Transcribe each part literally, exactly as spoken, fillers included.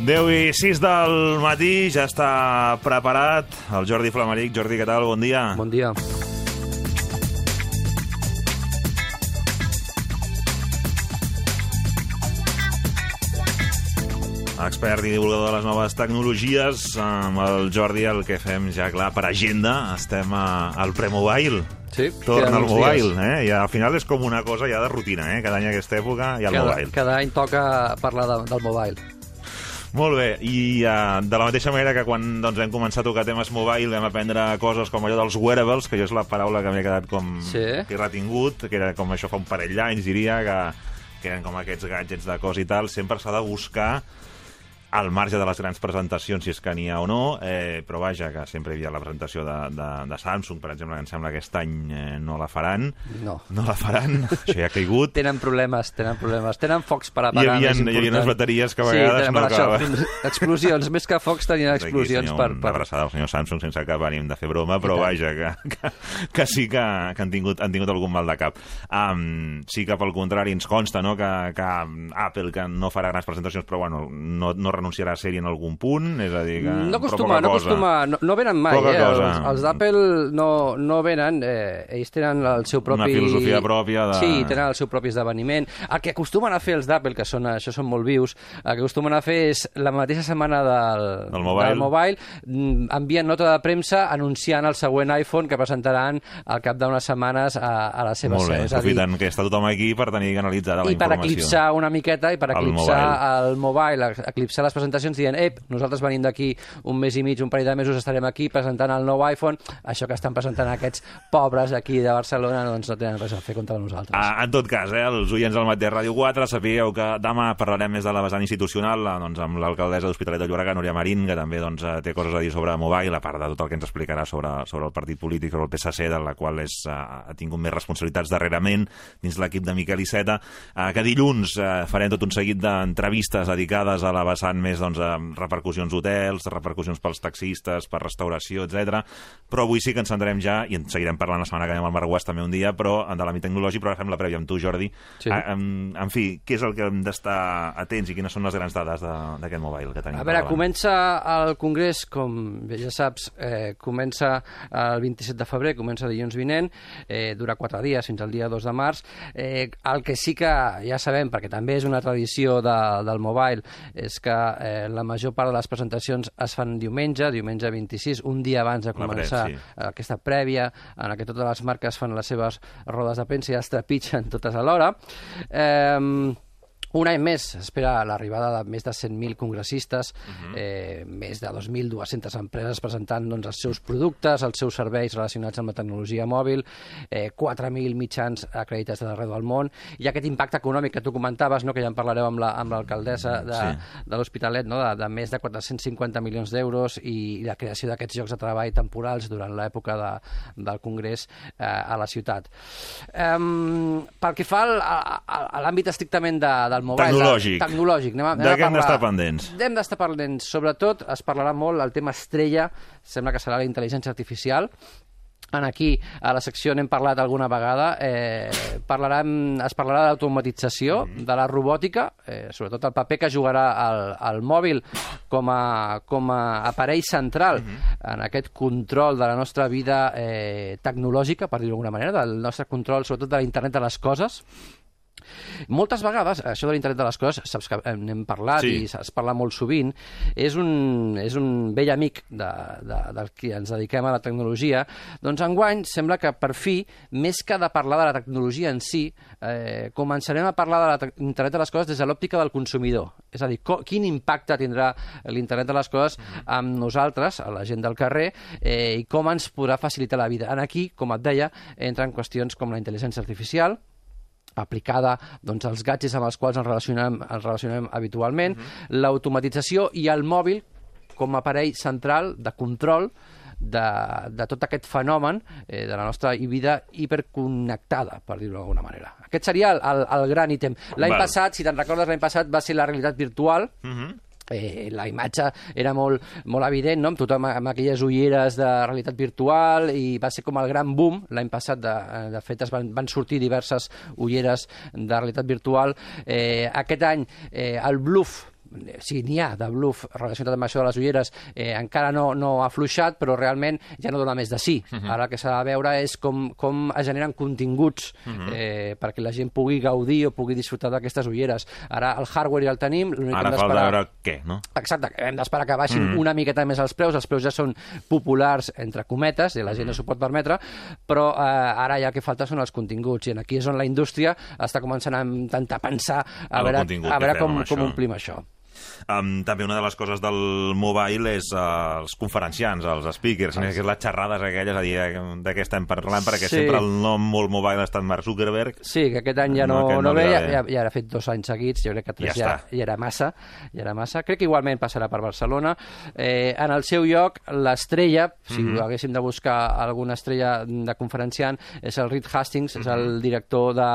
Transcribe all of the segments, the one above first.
deu i sis del matí, ja està preparat el Jordi Flamaric. Jordi, què tal? Bon dia. Bon dia. Expert i divulgador de les noves tecnologies. Amb el Jordi el que fem ja, clar, per agenda, estem a, al Premobile. Sí, torna al mobile, eh? I al final és com una cosa ja de rutina, eh? Cada any a aquesta època hi ha el cada, mobile. Cada any toca parlar de, del mobile. Molt bé, i uh, de la mateixa manera que quan doncs, vam començar a tocar temes mobile vam aprendre coses com allò dels wearables, que jo és la paraula que m'he quedat com sí. que he retingut, que era com això fa un parell d'anys, diria, que, que eren com aquests gadgets de cos i tal. Sempre s'ha de buscar al marge de les grans presentacions, si és que n'hi ha o no, eh, però vaja, que sempre hi havia la presentació de, de, de Samsung, per exemple, que em sembla que aquest any eh, no la faran. No. No la faran, això ja ha caigut. Tenen problemes, tenen problemes. Tenen focs per Hi apagar, havia, més important. hi havia unes bateries que a vegades sí, no acabaven. Explosions, més que focs tenien explosions. Aquí, per, una per... abraçada al senyor Samsung sense cap ànim de fer broma, però vaja, que, que, que sí que, que han, tingut, han tingut algun mal de cap. Um, sí que pel contrari ens consta, no?, que, que Apple que no farà grans presentacions, però bueno, no, no renunciarà a ser-hi en algun punt, és a dir que... No acostuma, no acostuma, no, no venen mai, poca eh? Cosa. Els, els d'Apple no, no venen, eh, ells tenen el seu propi... Una filosofia pròpia de... Sí, tenen el seu propi esdeveniment. El que acostumen a fer els d'Apple, que són, això són molt vius, el que acostumen a fer és la mateixa setmana del, del mobile, del mobile envien nota de premsa anunciant el següent iPhone que presentaran al cap d'unes setmanes a, a la seva seu. Molt bé, aprofiten que està tothom aquí per tenir analitzada la informació. I per eclipsar una miqueta, i per eclipsar el mobile, eclipsar les presentacions dient, ep, nosaltres venim d'aquí un mes i mig, un parell de mesos estarem aquí presentant el nou iPhone. Això que estan presentant aquests pobres aquí de Barcelona doncs no tenen res a fer contra nosaltres. Ah, en tot cas, eh, els oients del Matí Ràdio quatre, sapigueu que demà parlarem més de la vessant institucional, doncs, amb l'alcaldessa d'Hospitalet de Llobregat, Núria Marín, que també doncs, té coses a dir sobre mobile, a part de tot el que ens explicarà sobre, sobre el partit polític, sobre el P S C, de la qual és, uh, ha tingut més responsabilitats darrerament dins l'equip de Miquel Iceta, uh, que dilluns uh, farem tot un seguit d'entrevistes dedicades a la vessant més doncs, a repercussions hotels, repercussions pels taxistes, per restauració, etcètera. Però avui sí que ens centrarem ja, i en seguirem parlant la setmana que ve amb el Marc Guas també un dia, però de l'àmbit tecnològic, però ara fem la prèvia amb tu, Jordi. Sí. A, en, en fi, què és el que hem d'estar atents i quines són les grans dades d'aquest mobile que tenim? A veure, comença el Congrés, com bé ja saps, eh, comença el vint-i-set de febrer, comença dilluns vinent, eh, dura quatre dies fins al dia dos de març. Eh, el que sí que ja sabem, perquè també és una tradició de, del mobile, és que eh, la major part de les presentacions es fan diumenge, diumenge vint-i-sis, un dia abans de començar pre, sí. aquesta prèvia, en què totes les marques fan les seves rodes de premsa i es trepitgen totes alhora. Eh, Un any més s'espera l'arribada de més de cent mil congressistes, uh-huh. eh, més de dos mil dues-centes empreses presentant doncs, els seus productes, els seus serveis relacionats amb la tecnologia mòbil, eh, quatre mil mitjans acreditats d'arreu del món, i aquest impacte econòmic que tu comentaves, no, que ja en parlareu amb l'alcaldessa la, de, sí. de l'Hospitalet, no, de, de més de quatre-cents cinquanta milions d'euros i, i la creació d'aquests llocs de treball temporals durant l'època de, del Congrés eh, a la ciutat. Eh, pel que fa al, a, a l'àmbit estrictament de, del mobile, tecnològic. De, tecnològic. Anem a, anem de què hem parlar, d'estar pendents? Hem d'estar pendents. Sobretot es parlarà molt el tema estrella, sembla que serà la intel·ligència artificial. En aquí, a la secció n'hem parlat alguna vegada, eh, parlarem, es parlarà de l'automatització, mm. de la robòtica, eh, sobretot el paper que jugarà el, el mòbil com a, com a aparell central mm-hmm. en aquest control de la nostra vida eh, tecnològica, per dir-ho d'alguna manera, del nostre control, sobretot de l'internet de les coses. Moltes vegades, això de l'internet de les coses, saps que n'hem parlat sí. i es parla molt sovint, és un, és un vell amic de, de, del que ens dediquem a la tecnologia. Doncs enguany sembla que per fi, més que de parlar de la tecnologia en si, eh, començarem a parlar de l'internet de les coses des de l'òptica del consumidor. És a dir, co, quin impacte tindrà l'internet de les coses amb nosaltres, a la gent del carrer, eh, i com ens podrà facilitar la vida. En aquí, com et deia, entren qüestions com la intel·ligència artificial, aplicada doncs, als gadgets amb els quals ens relacionem, ens relacionem habitualment, uh-huh. l'automatització i el mòbil com a aparell central de control de, de tot aquest fenomen eh, de la nostra vida hiperconnectada, per dir-ho d'alguna manera. Aquest seria el, el, el gran ítem. L'any passat, si te'n recordes, l'any passat va ser la realitat virtual, uh-huh. Eh, la imatge era molt, molt evident, no? Amb tothom amb aquelles ulleres de realitat virtual, i va ser com el gran boom l'any passat. De, de fet, es van, van sortir diverses ulleres de realitat virtual. Eh, aquest any, eh, el bluff sí, n'hi ha de bluff relacionat amb això de les ulleres, eh, encara no, no ha afluixat, però realment ja no dona més de sí. Uh-huh. Ara el que s'ha de veure és com, com es generen continguts uh-huh. eh, perquè la gent pugui gaudir o pugui disfrutar d'aquestes ulleres. Ara el hardware ja el tenim. Ara cal veure què, no? Exacte, hem d'esperar que baixin uh-huh. una miqueta més els preus. Els preus ja són populars, entre cometes, i la gent uh-huh. no s'ho pot permetre, però eh, ara ja el que falta són els continguts, i aquí és on la indústria està començant a intentar pensar a veure, a veure com, com omplim això. Um, també una de les coses del mobile és uh, els conferenciants, els speakers, ah, sí. les xerrades aquelles, a dir, de què estem parlant, perquè sí. sempre el nom molt mobile ha estat Mark Zuckerberg. Sí, que aquest any ja no, no, no ve, ja, ja, ja ha fet dos anys seguits, jo crec que tres ja, ja, ja era massa, ja era massa. Crec que igualment passarà per Barcelona. Eh, en el seu lloc, l'estrella, si mm-hmm. haguéssim de buscar alguna estrella de conferenciant, és el Reed Hastings, mm-hmm. és el director de,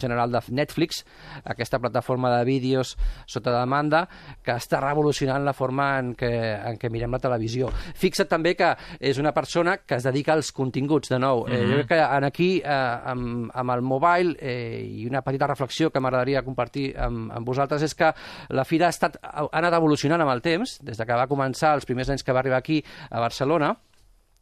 general de Netflix, aquesta plataforma de vídeos sota demanda, que està revolucionant la forma en què, en què mirem la televisió. Fixa't també que és una persona que es dedica als continguts, de nou. Mm-hmm. eh, jo crec que en aquí, eh, amb, amb el mobile, eh, i una petita reflexió que m'agradaria compartir amb, amb vosaltres, és que la fira ha, estat, ha anat evolucionant amb el temps, des de que va començar els primers anys que va arribar aquí a Barcelona,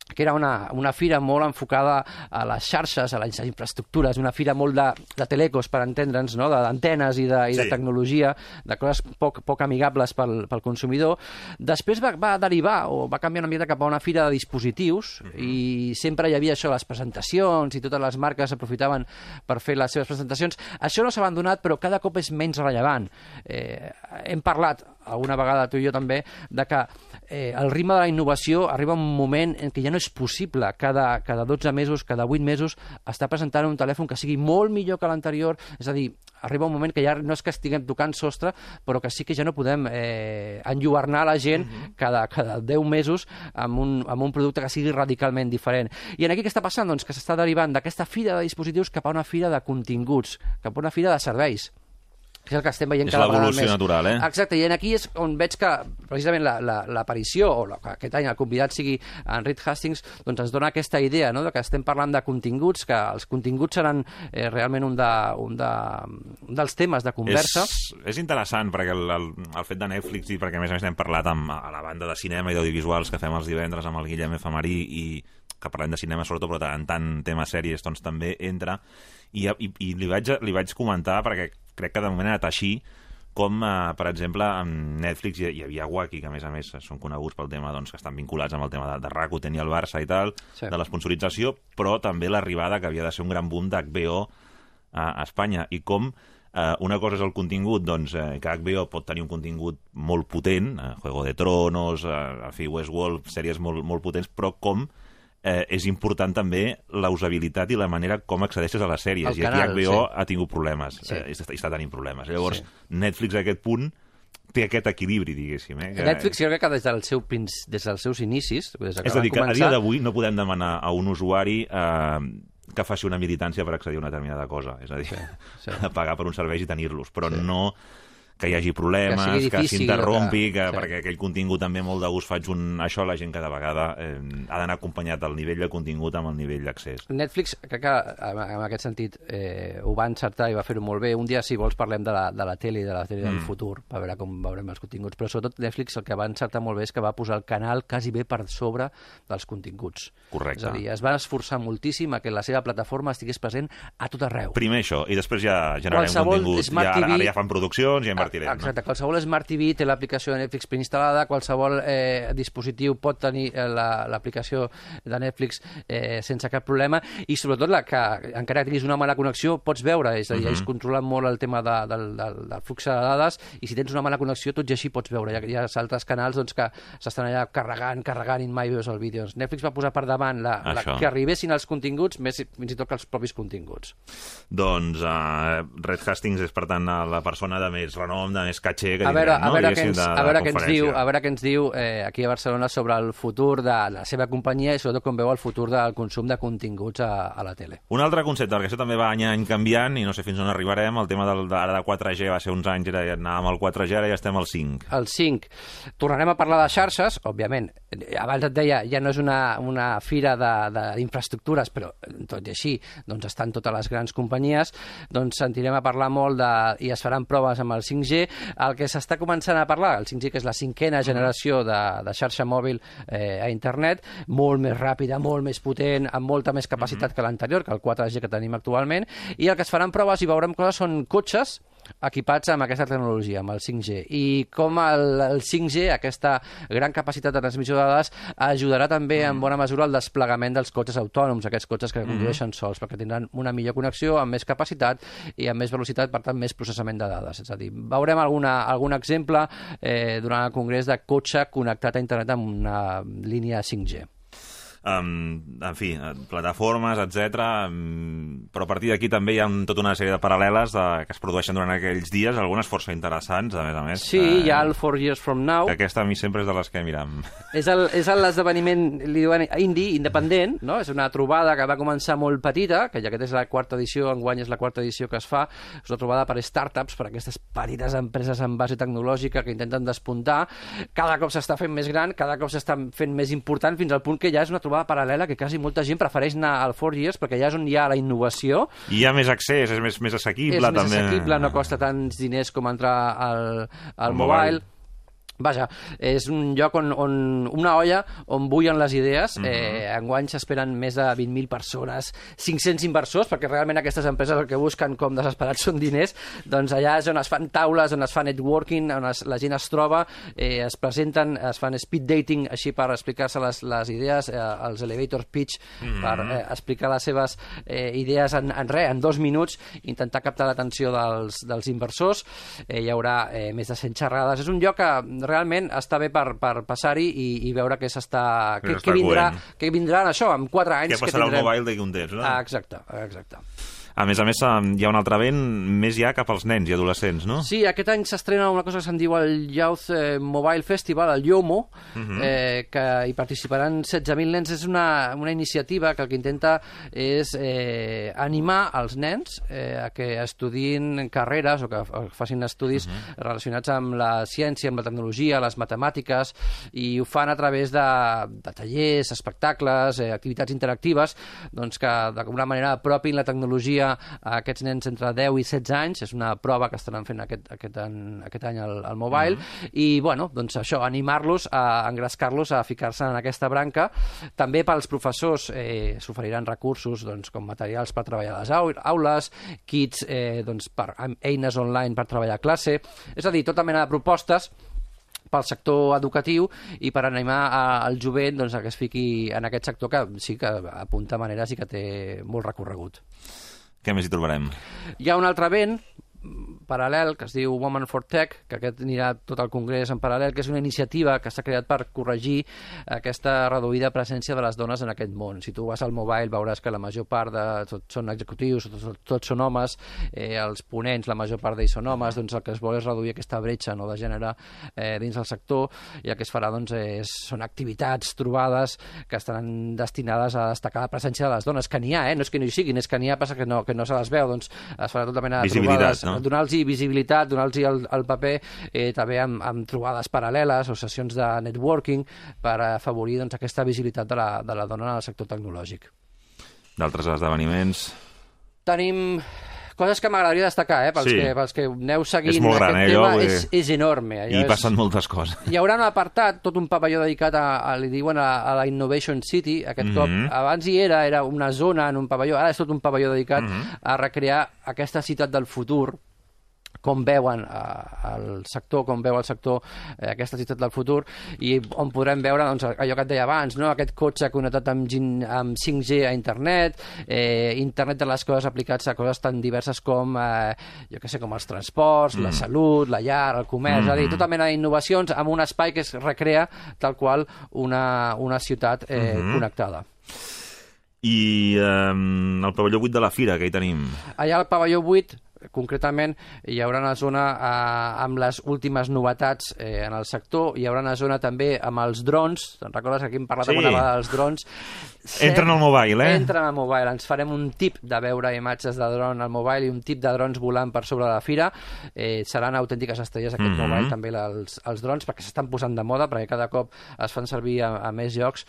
que era una, una fira molt enfocada a les xarxes, a les infraestructures, una fira molt de, de telecos, per entendre'ns, no? d'antenes i, de, i de sí. tecnologia, de coses poc, poc amigables pel, pel consumidor. Després va, va derivar o va canviar una mica cap a una fira de dispositius, mm-hmm. i sempre hi havia això, les presentacions, i totes les marques aprofitaven per fer les seves presentacions. Això no s'ha abandonat, però cada cop és menys rellevant. Eh, hem parlat alguna vegada, tu i jo també, de que eh, el ritme de la innovació arriba un moment en què ja no és possible cada, cada dotze mesos, cada vuit mesos, estar presentant un telèfon que sigui molt millor que l'anterior. És a dir, arriba un moment que ja no és que estiguem tocant sostre, però que sí que ja no podem eh, enlluernar la gent uh-huh. cada, cada deu mesos amb un, amb un producte que sigui radicalment diferent. I en aquí què està passant? Doncs que s'està derivant d'aquesta fira de dispositius cap a una fira de continguts, cap a una fira de serveis. És el que estem veient cada vegada més. És l'evolució natural, eh? Exacte, i aquí és on veig que precisament l'aparició, la, la, o la, que aquest any el convidat sigui en Reed Hastings, doncs ens dona aquesta idea, no?, de que estem parlant de continguts, que els continguts seran eh, realment un, de, un, de, un dels temes de conversa. És, és interessant, perquè el, el, el fet de Netflix, i perquè a més a més hem parlat amb, a la banda de cinema i d'audiovisuals que fem els divendres amb el Guillem F. Marí, i que parlem de cinema sobretot, però en tant tema sèries doncs també entra, i, i, i li, vaig, li vaig comentar, perquè crec que de moment ha anat així, com, eh, per exemple, amb Netflix hi, hi havia Wacky, que a més a més són coneguts pel tema, doncs, que estan vinculats amb el tema de, de Rakuten i el Barça i tal, sí. de l'esponsorització, però també l'arribada que havia de ser un gran boom d'H B O a, a Espanya, i com eh, una cosa és el contingut, doncs, eh, que H B O pot tenir un contingut molt potent, eh, Juego de Tronos, eh, en fi, Westworld, sèries molt, molt potents, però com Eh, és important també la usabilitat i la manera com accedeixes a les sèries. I aquí H B O sí. ha tingut problemes, sí. eh, i està, està tenint problemes. Llavors, sí. Netflix a aquest punt té aquest equilibri, diguéssim. Eh, que... Netflix jo crec que des, del seu, des dels seus inicis... Des és a dir, que començar... a dia d'avui no podem demanar a un usuari eh, que faci una militància per accedir a una determinada cosa. És a dir, sí, sí. pagar per uns serveis i tenir-los, però sí. no... que hi hagi problemes, que s'interrompi, que, que, sí. perquè aquell contingut també molt de gust faig un... Això la gent cada vegada eh, ha d'anar acompanyat el nivell de contingut amb el nivell d'accés. Netflix, crec que en aquest sentit eh, ho va encertar i va fer-ho molt bé. Un dia, si vols, parlem de la, de la tele i de la tele mm. del futur, per veure com veurem els continguts. Però sobretot Netflix el que va encertar molt bé és que va posar el canal quasi bé per sobre dels continguts. Correcte. És a dir, es va esforçar moltíssim a que la seva plataforma estigués present a tot arreu. Primer això, i després ja generarem qualsevol contingut. Ja, ara, ara ja fan produccions i ja invertirem. Exacte, no? Qualsevol Smart T V té l'aplicació de Netflix preinstal·lada, qualsevol eh, dispositiu pot tenir eh, l'aplicació de Netflix eh, sense cap problema, i sobretot la que encara que tinguis una mala connexió pots veure, és a dir, uh-huh. ells controlen molt el tema de, del, del, del flux de dades, i si tens una mala connexió tot i així pots veure. Hi ha, hi ha altres canals doncs, que s'estan allà carregant, carregant i mai veus el vídeo. Netflix va posar per davant la, la, que arribessin els continguts, més fins i tot que els propis continguts. Doncs uh, Reed Hastings és, per tant, la persona de més renom, de més caché que a veure, no? a veure què ens, de, a veure què ens diu, a veure què ens diu eh, aquí a Barcelona sobre el futur de la seva companyia i sobretot com veu el futur del consum de continguts a, a la tele. Un altre concepte, perquè això també va any a any canviant i no sé fins on arribarem, el tema del, de, ara de quatre G va ser uns anys, era, anàvem al quatre G, ara ja estem al cinc. El cinc. Tornarem a parlar de xarxes, òbviament. Abans et deia, ja no és una, una fira d'infraestructures, però tot i així doncs estan totes les grans companyies, doncs sentirem a parlar molt de, i es faran proves amb el cinc cinc G, el que s'està començant a parlar, el cinc G, que és la cinquena generació de, de xarxa mòbil eh, a internet, molt més ràpida, molt més potent, amb molta més capacitat mm-hmm. que l'anterior, que el quatre G que tenim actualment, i el que es faran proves i veurem coses són cotxes equipats amb aquesta tecnologia, amb el cinc G. I com el, el cinc G, aquesta gran capacitat de transmissió de dades, ajudarà també en bona mesura el desplegament dels cotxes autònoms, aquests cotxes que condueixen sols, perquè tindran una millor connexió, amb més capacitat i amb més velocitat, per tant, més processament de dades. És a dir, veurem alguna, algun exemple eh, durant el congrés de cotxe connectat a internet amb una línia cinc G. Um, en fi, plataformes, etcètera. Um, però a partir d'aquí també hi ha tota una sèrie de paral·leles de, que es produeixen durant aquells dies, algunes força interessants, a més a més. Sí, uh, hi ha el Four Years From Now. Que aquesta a mi sempre és de les que miram. És l'esdeveniment, li diuen indie, independent, no? És una trobada que va començar molt petita, que ja aquesta és la quarta edició, enguany és la quarta edició que es fa, és una trobada per startups, per aquestes petites empreses en base tecnològica que intenten despuntar. Cada cop s'està fent més gran, cada cop s'està fent més important, fins al punt que ja és una trobada paral·lela que quasi molta gent prefereix anar al Four Years perquè ja és on hi ha la innovació. I hi ha més accés, és més, més assequible. És també. més assequible, no costa tants diners com entrar al, al mobile. mobile. Vaja, és un lloc on, on una olla on bullen les idees. Mm-hmm. eh, enguany s'esperen més de vint mil persones, cinc-cents inversors, perquè realment aquestes empreses el que busquen com desesperats són diners. Doncs allà és on es fan taules, on es fa networking, on es, la gent es troba, eh, es presenten, es fan speed dating, així per explicar-se les, les idees, eh, els elevator pitch, mm-hmm. per eh, explicar les seves eh, idees en, en res, en dos minuts, intentar captar l'atenció dels, dels inversors. Eh, hi haurà eh, més de cent xerrades. És un lloc que realment està bé per, per passar-hi i, i veure què s'està... Què, què, vindrà, què vindrà en això, en quatre anys... Què passarà al mobile d'aquí un temps, no? Ah, exacte, exacte. A més a més, hi ha un altre event més ja cap als nens i adolescents, no? Sí, aquest any s'estrena una cosa que se'n diu el Youth Mobile Festival, el YOMO, uh-huh. eh, que hi participaran setze mil nens. És una, una iniciativa que el que intenta és eh, animar els nens eh, a que estudin carreres o que facin estudis uh-huh. relacionats amb la ciència, amb la tecnologia, les matemàtiques, i ho fan a través de, de tallers, espectacles, eh, activitats interactives, doncs que d'alguna manera apropin la tecnologia a aquests nens entre deu i setze anys. És una prova que estaran fent aquest, aquest, any, aquest any al, al mobile, mm-hmm. i bueno, doncs això, animar-los, a engrescar-los a ficar-se en aquesta branca. També pels professors eh, s'oferiran recursos doncs, com materials per treballar a les aules, kits eh, doncs, per, eines online per treballar a classe, és a dir, tota mena de propostes pel sector educatiu i per animar al jovent doncs, a que es fiqui en aquest sector que sí que apunta maneres i que té molt recorregut. Què més hi trobarem? Hi ha un altre event paral·lel que es diu Women for Tech, que aquest anirà tot el congrés en paral·lel, que és una iniciativa que s'ha creat per corregir aquesta reduïda presència de les dones en aquest món. Si tu vas al mobile veuràs que la major part de tots són executius, tots, tots són homes, eh, els ponents, la major part d'ells són homes, doncs el que es vol és reduir aquesta bretxa, no, de gènere eh, dins del sector, i el que es farà doncs, és, són activitats, trobades que estaran destinades a destacar la presència de les dones, que n'hi ha, eh? No és que no hi siguin, és que n'hi ha, passa que no, que no se les veu, doncs es farà tota mena de trobades, no? Donar-los visibilitat, donar-los el, el paper, eh, també amb, amb trobades paral·leles o sessions de networking per afavorir doncs, aquesta visibilitat de la, de la dona en el sector tecnològic. D'altres esdeveniments? Tenim coses que m'agradaria destacar, eh, pels, sí. que, pels que aneu seguint. És molt gran, aquest eh, tema, allò, és, és enorme. I passen és... moltes coses. Hi haurà un apartat, tot un pavelló dedicat a, a li diuen a, a la Innovation City, aquest mm-hmm. cop. Abans hi era, era una zona en un pavelló, ara és tot un pavelló dedicat mm-hmm. a recrear aquesta ciutat del futur, com veuen eh, el sector, com veu el sector eh, aquesta ciutat del futur, i on podrem veure doncs, allò que et deia abans, no? Aquest cotxe connectat amb, amb cinc G a internet, eh, internet de les coses aplicats a coses tan diverses com eh, jo què sé, com els transports, mm. la salut, la llar, el comerç, mm. és a dir, tota mena d'innovacions amb un espai que es recrea tal qual una, una ciutat eh, mm-hmm. connectada. I eh, el pavelló vuit de la Fira, que hi tenim? Allà al pavelló vuit concretament hi haurà una zona eh, amb les últimes novetats eh, en el sector, hi haurà una zona també amb els drons. Te'n recordes que aquí hem parlat sí. alguna vegada dels drons? Entren al mobile, eh? Entren al mobile. Ens farem un tip de veure imatges de dron al mobile i un tip de drons volant per sobre de la fira. Eh, seran autèntiques estrelles aquest mm-hmm. mobile, també els, els drons, perquè s'estan posant de moda, perquè cada cop es fan servir a, a més llocs.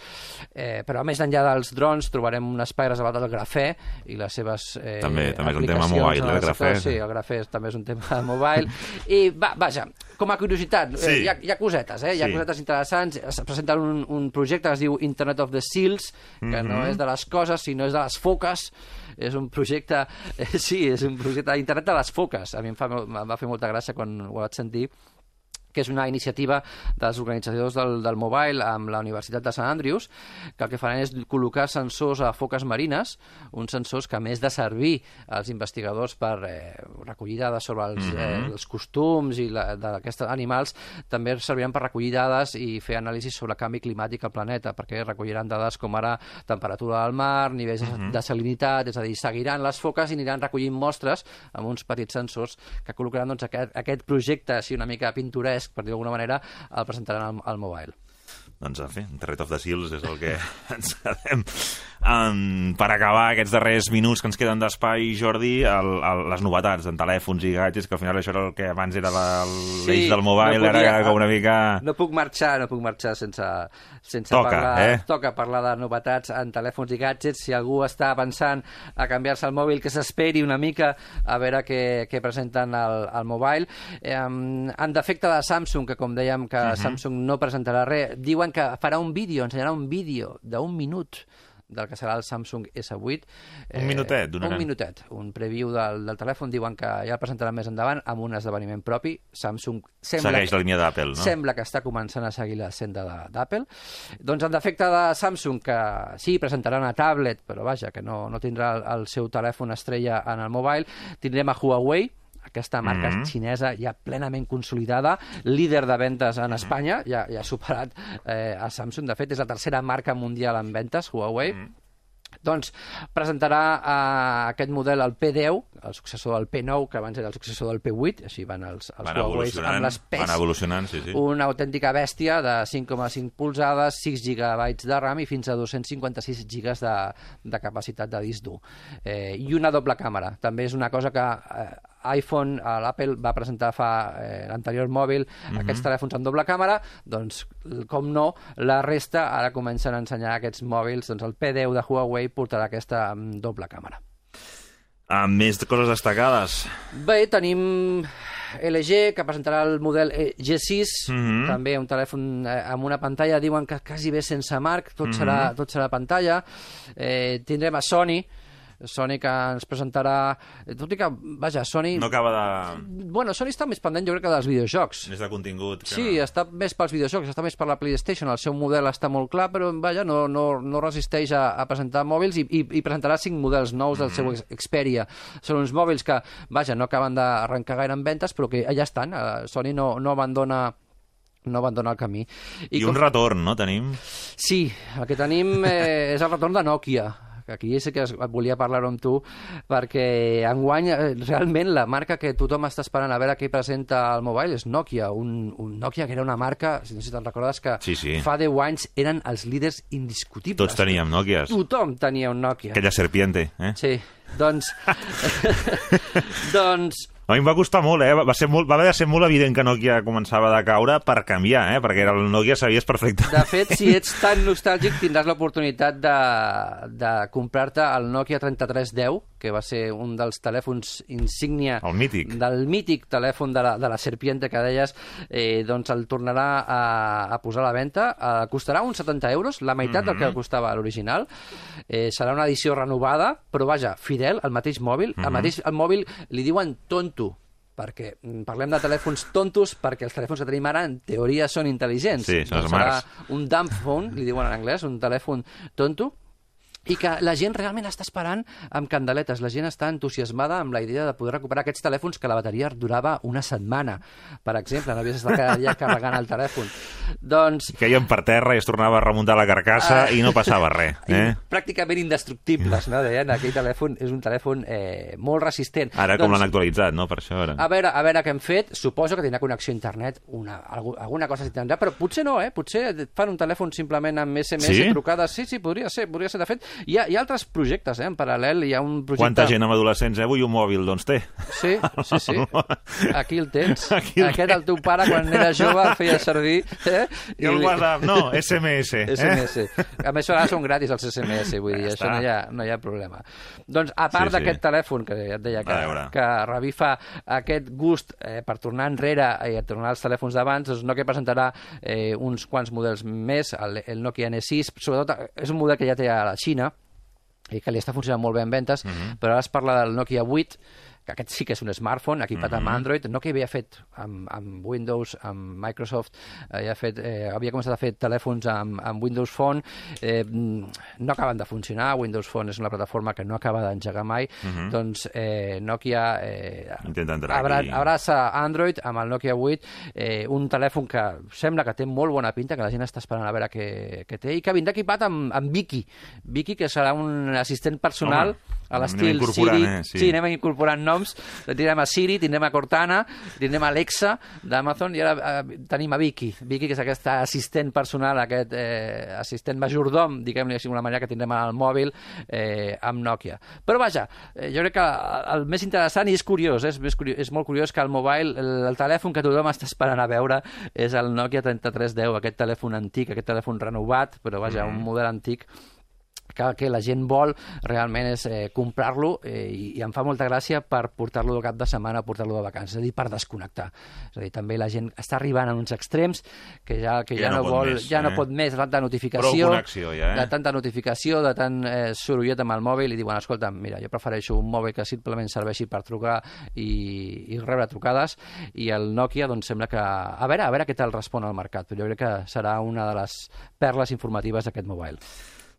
Eh, però a més enllà dels drons trobarem un espai reservat al grafè i les seves eh, també, també és un tema aplicacions mobile, en el el grafè. sector. Sí, el grafè també és un tema mobile. I va, vaja, com a curiositat, sí. eh, hi, ha, hi ha cosetes, eh? Hi ha sí. cosetes interessants. Es presenta un, un projecte que es diu Internet of the Seals, que mm-hmm. no és de les coses, sinó és de les foques. És un projecte, eh, sí, és un projecte d'internet de les foques. A mi em, fa, em va fer molta gràcia quan ho vaig sentir, que és una iniciativa dels organitzadors del, del mobile amb la Universitat de Sant Andrews, que el que faran és col·locar sensors a foques marines, uns sensors que, a més de servir als investigadors per eh, recollir dades sobre els, mm-hmm. eh, els costums i d'aquests animals, també serviran per recollir dades i fer anàlisis sobre el canvi climàtic al planeta, perquè recolliran dades com ara temperatura del mar, nivells mm-hmm. de salinitat, és a dir, seguiran les foques i aniran recollint mostres amb uns petits sensors que col·locaran doncs, aquest, aquest projecte així una mica pintoresc, per dir d'alguna manera, el presentaran al, al mobile. Doncs, en fi, Internet of the Seals és el que ens quedem. Um, per acabar aquests darrers minuts que ens queden d'espai, Jordi, el, el, les novetats en telèfons i gadgets, que al final això era el que abans era l'eix sí, del mobile, no podia, ara com una mica... No puc marxar, no puc marxar sense, sense toca, parlar... Eh? Toca parlar de novetats en telèfons i gadgets. Si algú està pensant a canviar-se el mòbil, que s'esperi una mica a veure què, què presenten al, al mobile. Eh, en defecte de Samsung, que com dèiem que uh-huh. Samsung no presentarà res, diuen que farà un vídeo, ensenyarà un vídeo d'un minut del que serà el Samsung essa vuit. Un eh, minutet, donaran. Un minutet, un preview del, del telèfon. Diuen que ja el presentaran més endavant amb un esdeveniment propi. Samsung sembla segueix la línia d'Apple, no? Sembla que està començant a seguir la senda d'Apple. Doncs en defecte de Samsung, que sí, presentarà una tablet, però vaja, que no, no tindrà el, el seu telèfon estrella en el mobile, tindrem a Huawei, aquesta marca mm-hmm. xinesa ja plenament consolidada, líder de ventes en Espanya, ja, ja ha superat eh, a Samsung. De fet, és la tercera marca mundial en ventes, Huawei. Mm-hmm. Doncs presentarà eh, aquest model, el P deu, el successor del P nou, que abans era el successor del P vuit, així van els, els van Huawei amb les P E S. Van evolucionant, sí, sí. Una autèntica bèstia de cinc coma cinc polzades, sis gigabytes de RAM i fins a dos-cents cinquanta-sis gigas de, de capacitat de disc dur. Eh, I una doble càmera. També és una cosa que eh, iPhone, l'Apple va presentar fa eh, l'anterior mòbil, mm-hmm. aquests telèfons amb doble càmera, doncs, com no, la resta ara comencen a ensenyar aquests mòbils, doncs el P deu de Huawei portarà aquesta um, doble càmera. Ah, més coses destacades. Bé, tenim L G, que presentarà el model G sis, mm-hmm. també un telèfon eh, amb una pantalla, diuen que quasi bé sense marc, tot, mm-hmm. serà, tot serà pantalla. Eh, tindrem a Sony, Sony que ens presentarà... Tot i que, vaja, Sony... No acaba de... Bueno, Sony està més pendent, jo crec, que dels videojocs. Més de contingut. Que... Sí, està més pels videojocs, està més per la PlayStation. El seu model està molt clar, però, vaja, no, no, no resisteix a, a presentar mòbils i, i, i presentarà cinc models nous del mm-hmm. seu Xperia. Són uns mòbils que, vaja, no acaben d'arrencar gaire en ventes, però que ja estan. Sony no, no abandona... no abandona el camí. I, I com... un retorn, no, tenim? Sí, el que tenim eh, és el retorn de Nokia. Aquí sí que volia parlar amb tu, perquè enguany realment la marca que tothom està esperant a veure què presenta al mobile és Nokia, un, un Nokia que era una marca, si no sé si te'n recordes, que sí, sí. fa deu anys eren els líders indiscutibles. Tots teníem Nokias. Tothom tenia un Nokia. Aquella serpiente, eh? Sí, doncs... doncs... A mi em va costar molt, eh? Va, ser molt, va haver de ser molt evident que Nokia començava a caure per canviar, eh? Perquè el Nokia sabies perfectament. De fet, si ets tan nostàlgic, tindràs l'oportunitat de, de comprar-te el Nokia trenta-tres deu, que va ser un dels telèfons insígnia... El mític. Del mític telèfon de la, de la serpiente que deies, eh, doncs el tornarà a, a posar a la venda. Eh, costarà uns setanta euros, la meitat mm-hmm. del que costava l'original. Eh, serà una edició renovada, però vaja, fidel, el mateix mòbil. Mm-hmm. El mateix el mòbil li diuen tonto, perquè parlem de telèfons tontos, perquè els telèfons que tenim ara en teoria són intel·ligents. Sí, són doncs smarts. serà un dumb phone, li diuen en anglès, un telèfon tonto. i que la gent realment està esperant amb candeletes. La gent està entusiasmada amb la idea de poder recuperar aquests telèfons que la bateria durava una setmana, per exemple, no havies d'estar cada dia carregant el telèfon. Doncs... Caien per terra i es tornava a remuntar la carcassa uh, i no passava res. Eh? Pràcticament indestructibles, no? Deien, aquell telèfon és un telèfon eh, molt resistent. Ara com doncs, l'han actualitzat, no? Per això ara. A veure, a veure què hem fet. Suposo que tindrà connexió a internet, una, alguna cosa s'hi tindrà, però potser no, eh? Potser fan un telèfon simplement amb esse eme esse, sí? Trucades. Sí, sí, podria ser, podria ser. De fet, Hi ha, hi ha altres projectes, eh, en paral·lel. Hi ha un projecte... Quanta gent amb adolescents, eh? Avui un mòbil, doncs té. Sí, sí, sí. Aquí el tens. Aquí el Aquest tens. El teu pare, quan era jove, el feia servir. Eh? I el WhatsApp, no, esse eme esse. esse eme esse. A més, ara són gratis els esse eme esse, vull dir, ja això no hi, ha, no hi ha problema. Doncs, a part sí, d'aquest sí. telèfon, que ja et deia que, que revifa aquest gust eh, per tornar enrere i a tornar als telèfons d'abans, doncs Nokia presentarà eh, uns quants models més, el, el Nokia ene sis, sobretot és un model que ja té a la Xina, i que li està funcionant molt bé en ventes, uh-huh. però ara es parla del Nokia vuit, que aquest sí que és un smartphone, equipat uh-huh. amb Android. Nokia havia fet amb, amb Windows, amb Microsoft, havia, fet, eh, havia començat a fer telèfons amb, amb Windows Phone, eh, no acaben de funcionar. Windows Phone és una plataforma que no acaba d'engegar mai, uh-huh. doncs eh, Nokia eh, abra, abraça Android amb el Nokia vuit, eh, un telèfon que sembla que té molt bona pinta, que la gent està esperant a veure què, què té, i que vindrà equipat amb, amb Viki. Viki, que serà un assistent personal Home. a l'estil Siri. Eh? Sí. sí, anem incorporant noms. Tindrem a Siri, tindrem a Cortana, tindrem a Alexa d'Amazon, i ara eh, tenim a Viki. Viki, que és aquest assistent personal, aquest eh, assistent majordom, diguem-li d'alguna manera, que tindrem al mòbil eh, amb Nokia. Però vaja, eh, jo crec que el més interessant, i és curiós, eh, és, més curiós, és molt curiós que el mobile, el, el telèfon que tothom està esperant a veure és el Nokia trenta-tres deu, aquest telèfon antic, aquest telèfon renovat, però vaja, mm. un model antic, que el que la gent vol realment és eh, comprar-lo eh, i, i em fa molta gràcia per portar-lo de cap de setmana o portar-lo de vacances, és a dir, per desconnectar. És a dir, també la gent està arribant a uns extrems que ja, que ja, ja no, no vol, més, ja eh? no pot més, de tanta notificació, ja, eh? de tanta notificació, de tant eh, sorollet amb el mòbil, i diuen, escolta, mira, jo prefereixo un mòbil que simplement serveixi per trucar i, i rebre trucades, i el Nokia, doncs, sembla que... A veure, a veure què tal respon al mercat, però jo crec que serà una de les perles informatives d'aquest mobile.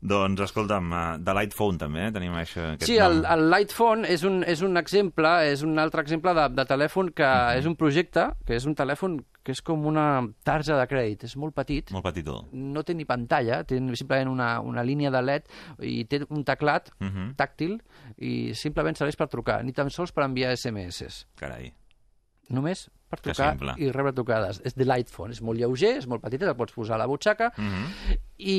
Doncs, escolta'm, de l'iPhone també, eh? Tenim això, aquest sí, el, el l'iPhone és un, és un exemple, és un altre exemple de, de telèfon que uh-huh. és un projecte, que és un telèfon que és com una tarja de crèdit, és molt petit. Molt petitó. No té ni pantalla, té simplement una, una línia de L E D i té un teclat uh-huh. tàctil i simplement serveix per trucar, ni tan sols per enviar esse eme esse. Carai. Només per trucar i rebre trucades. És de l'iPhone, és molt lleuger, és molt petit, el pots posar a la butxaca, uh-huh. i,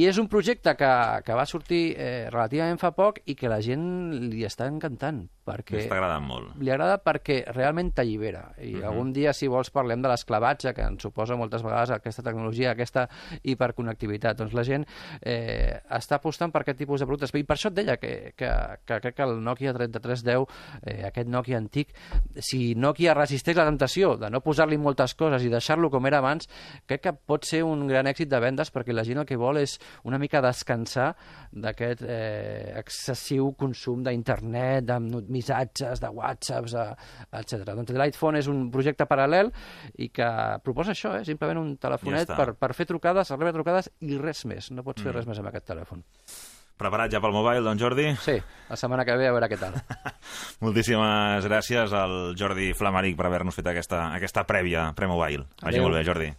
i és un projecte que, que va sortir eh, relativament fa poc i que la gent li està encantant. Perquè està agradant molt. Li agrada perquè realment t'allibera. I uh-huh. algun dia, si vols, parlem de l'esclavatge, que ens suposa moltes vegades aquesta tecnologia, aquesta hiperconnectivitat. Doncs la gent eh, està apostant per aquest tipus de productes. I per això et deia que, que, que crec que el Nokia trenta-tres deu, eh, aquest Nokia antic, si Nokia resisteix la temptació de no posar-li moltes coses i deixar-lo com era abans, crec que pot ser un gran èxit de vendes, perquè la gent el que vol és una mica descansar d'aquest eh, excessiu consum d'internet, de missatges, de whatsapps, etcètera. Doncs l'iPhone és un projecte paral·lel i que proposa això, eh? Simplement un telefonet ja per, per fer trucades, rebre trucades i res més. No pots fer mm. res més amb aquest telèfon. Preparat ja pel mobile, doncs, Jordi? Sí, la setmana que ve a veure què tal. Moltíssimes gràcies al Jordi Flamaric per haver-nos fet aquesta, aquesta prèvia pre-mobile. Vagi molt bé, Jordi.